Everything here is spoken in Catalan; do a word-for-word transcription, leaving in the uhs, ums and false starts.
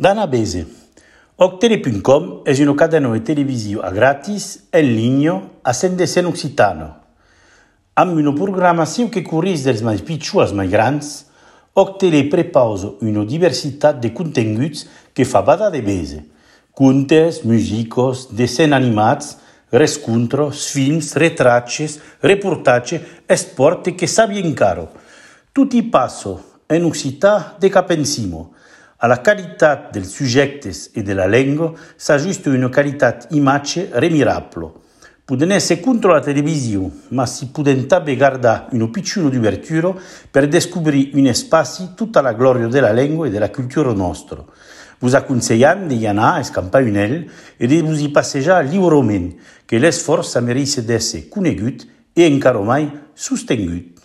Dana Bese. Octele punto com è una cadena televisiva gratis in linea a sendese in occitano. Amb una programmazione che curis dels mai piccoli als mai grans, Octele prepausa una diversità di contenuti che fa bada de bese. Contes, musicos, dessins animats, rescontros, films, retraces, reportatge e sport che sa bien caro. Tutti passo in occità de capensimo. Alla qualità del sujectes e della lingua s'aggiusta una qualità immagine remirabile. Pueden essere contro la televisione, ma si pueden també guardare un piccolo diverturo per scoprire un spazio tutta la gloria della lingua e della cultura nostra. Vos aconseiam de anar a escampar un el e de vos hi passejar lliurement, que l'esforç mereix d'ésser conegut e encara mai sostingut.